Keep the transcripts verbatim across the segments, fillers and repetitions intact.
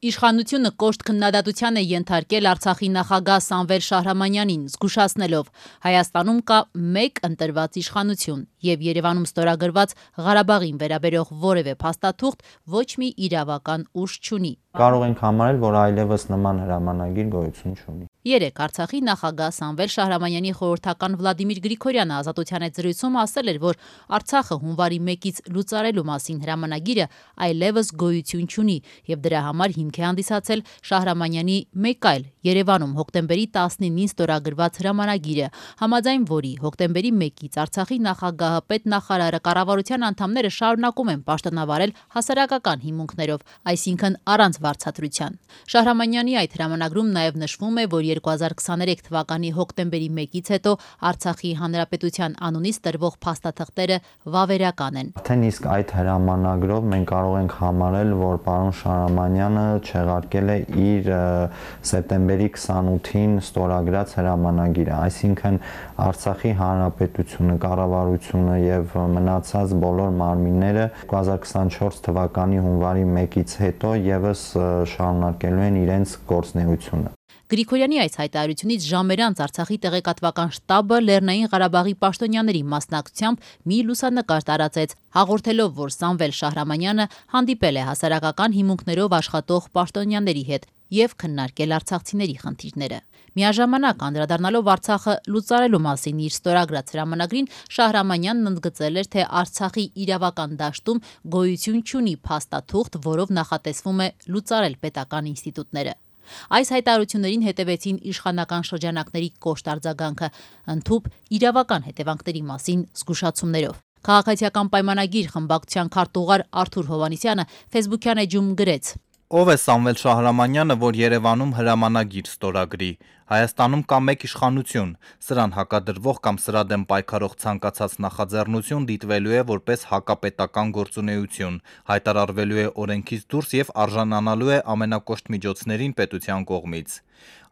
Իշխանությունը կոշտ քննադատության է ենթարկել Արցախի նախագահ Սամվել Շահրամանյանին, զգուշացնելով Հայաստանում կա մեկ ընտրված իշխանություն եւ Երևանում ստորագրված Ղարաբաղին վերաբերող որևէ փաստաթուղթ ոչ մի իրավական ուժ չունի։ Կարող ենք համարել, որ այլևս նման հրամանագիր գոյություն չունի։ Երեկ Արցախի նախագահ Սամվել Շահրամանյանի խորհրդական Վլադիմիր Գրիգորյանը Ազատության հետ զրույցում ասել էր, որ Արցախը հունվարի մեկից լուծարելու մասին հրամանագիրը այլևս գոյություն չունի եւ դրա համար հիմք է հանդիսացել Շահրամանյանի մեկ այլ Երևանում հոկտեմբերի տասնինին ստորագրված հրամանագիրը, համաձայն որի հոկտեմբերի մեկից Արցախի նախագահը, պետնախարարը, կառավարության անդամները շարունակում են պաշտոնավարել հասարակական հիմունքներով, այսինքն առանց վարձատրության։ Շահրամանյանի այդ հրամանագրում նաև նշվում է, որ երկու հազար քսաներեք թվականի հոկտեմբերի մեկից հետո Արցախի հանրապետության անունից տրվող փաստաթղթերը վավերական են։ Արդեն իսկ այդ հրամանագրով մենք կարող ենք համարել, որ պարոն Շահրամանյանը չեղարկել է իր սեպտեմբերի քսանութին ստորագրած հրամանագիրը, այսինքն Արցախի հանրապետությունը, կառավարությունը եւ մնացած բոլոր մարմինները երկու հազար քսանչորս թվականի հունվարի մեկից հետո եւս շարունակելու են իրենց գործունեությունը։ Գրիգորյանի այս հայտարարությունից ժամեր անց Արցախի տեղեկատվական շտաբը Լեռնային Ղարաբաղի պաշտոնյաների մասնակցությամբ մի լուսանկար տարածեց, հաղորդելով, որ Սամվել Շահրամանյանը հանդիպել է հասարակական հիմունքներով աշխատող պաշտոնյաների հետ եւ քննարկել արցախցիների խնդիրները։ Միաժամանակ անդրադառնալով Արցախը լուծարելու մասին իր ստորագրած հրամանագրին, Շահրամանյանն ընդգծել էր, թե Արցախի իրավական դաշտում գոյություն չունի փաստաթուղթ, որով նախատեսվում է լուծարել պետական ինստիտուտները։ Այս հայտարարություններին հետևեցին իշխանական շրջանակների կոշտ արձագանքը, ընդհուպ իրավական հետևանքների մասին զգուշացումներով։ Քաղաքացիական պայմանագիր խմբակցության քարտուղար Արթուր Հովհաննիսյանը Facebook-յան էջում գրեց. Ով է Սամվել Շահրամանյանը, որ Երևանում հրամանագիր ստորագրի։ Հայաստանում կա մեկ իշխանություն, սրան հակադրվող կամ սրա դեմ պայքարող ցանկացած նախաձեռնություն դիտվելու է որպես հակապետական գործունեություն, հայտարարվելու է օրենքից դուրս եւ արժանանալու է ամենակոշտ միջոցներին պետության կողմից։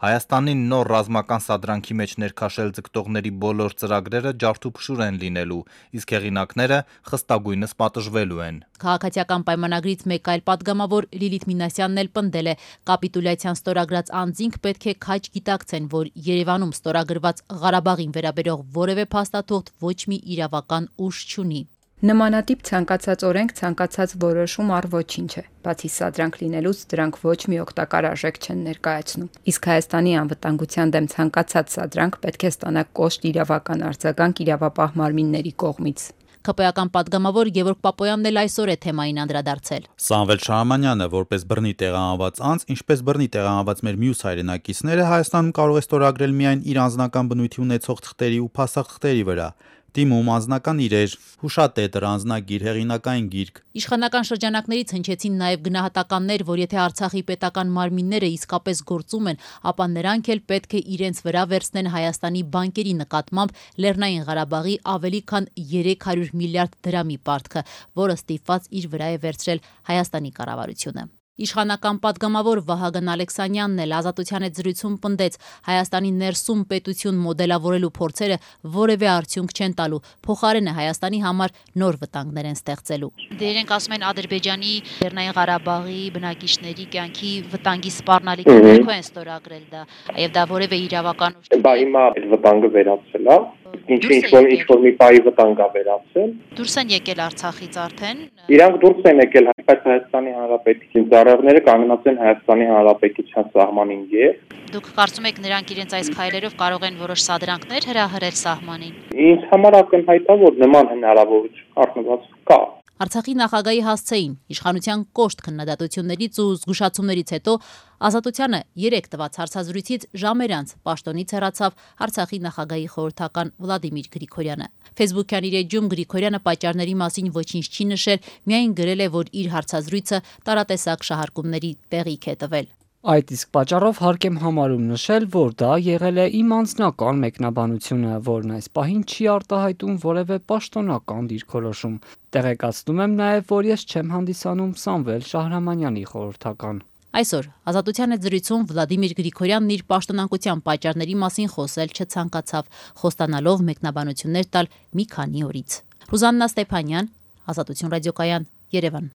Հայաստանի նոր ռազմական սադրանքի մեջ ներքաշել ձգտողների բոլոր ծրագրերը ջարդուփշուր են լինելու, իսկ հեղինակները խստագույնս պատժվելու են։ Քաղաքացիական պայմանագրից մեկ այլ падգամավոր Լիլիթ Մինասյանն էլ պնդել է, կապիտուլյացիան ստորագրած անձինք պետք է քաջ գիտակցեն, որ Երևանում ստորագրված Ղարաբաղին վերաբերող որևէ փաստաթուղթ ոչ մի իրավական ուժ չունի։ Նմանատիպ ցանկացած օրենք ցանկացած որոշում առ ոչինչ է, բացի սադրանք լինելուց դրանք ոչ մի օգտակար արժեք չեն ներկայացնում։ Իսկ Հայաստանի անվտանգության դեմ ցանկացած սադրանք պետք է ստանա կոշտ իրավական արձագանք իրավապահ մարմինների կողմից։ ՔՊ-ական падգամավոր Գևորգ Պապոյանն էլ այսօր է թեմային անդրադարձել։ Սամվել Շահրամանյանը որպես բռնի տեղահանված անձ, ինչպես բռնի տեղահանված մեր մյուս հայրենակիցները, Հայաստանում կարող է ստորագրել միայն իր անձնական բնույթի ունեցող թղթերի ու փաստաթղթերի վրա։ Դիմում, անձնական իրեր, հուշատետր, անձնագիր, հեղինակային գիրք։ Իշխանական շրջանակներից հնչեցին նաև գնահատականներ, որ եթե Արցախի պետական մարմինները իսկապես գործում են, ապա նրանք էլ պետք է իրենց վրա վերցնեն Հայաստանի բանկերի նկատմամբ Լեռնային Ղարաբաղի ավելի քան երեք հարյուր միլիարդ դրամի պարտքը, որը ստիպված իր վրա է վերցրել Հայաստանի կառավարությունը։ Իշխանական падգամավոր Վահագն Ալեքսանյանն էլ Ազատության հետ զրույցում պնդեց, Հայաստանի ներսում պետություն մոդելավորելու փորձերը որևէ արդյունք չեն տալու, փոխարենը Հայաստանի համար նոր վտանգներ են ստեղծելու։ Դե իրենք ասում են Ադրբեջանի, Լեռնային Ղարաբաղի բնակիչների կյանքի վտանգի սպառնալիքը ներքո են ստորագրել դա, եւ դա որևէ իրավական ուժ։ Բա հիմա այդ վտանգը վերացել է։ Ինչ ինչ որ ինչ որ մի պայի վտանգ է վերացել։ Դուրս են եկել Արցախից արդեն։ Իրանք դուրս են եկել, բայց Հայաստանի Հանրապետության ծառայողները կանգնած են Հայաստանի Հանրապետության սահմանին եւ Դուք կարծում եք նրանք իրենց այս քայլերով կարող են որոշ սադրանքներ հրահրել սահմանին։ Ինձ համար ակնհայտ է, որ նման հնարավորություն առնված կա։ Արցախի նախագահի հասցեին իշխանության կոշտ քննադատություններից ու զգուշացումներից հետո Ազատությանը երեք տված հարցազրույցից ժամեր անց պաշտոնից հեռացավ Արցախի նախագահի խորհրդական Վլադիմիր Գրիգորյանը։ Facebook-յան իր էջում Գրիգորյանը պատճառների մասին ոչինչ չի նշել, միայն գրել է, որ իր հարցազրույցը տարատեսակ շահարկումների տեղիք է տվել։ Այդ իսկ պատճառով հարկ եմ համարում նշել, որ դա եղել է իմ անձնական մեկնաբանությունը, որն այս պահին չի արտահայտում որևէ պաշտոնական դիրքորոշում։ Տեղեկացնում եմ նաև, որ ես չեմ հանդիսանում Սամվել Շահրամանյանի խորհրդական։ Այսօր Ազատության հետ զրույցում Վլադիմիր Գրիգորյանն իր պաշտոնակության պատճառների մասին խոսել չցանկացավ, խոստանալով մեկնաբանություններ տալ մի քանի օրից։ Ռուզաննա Ստեփանյան, Ազատություն ռադիոկայան, Երևան։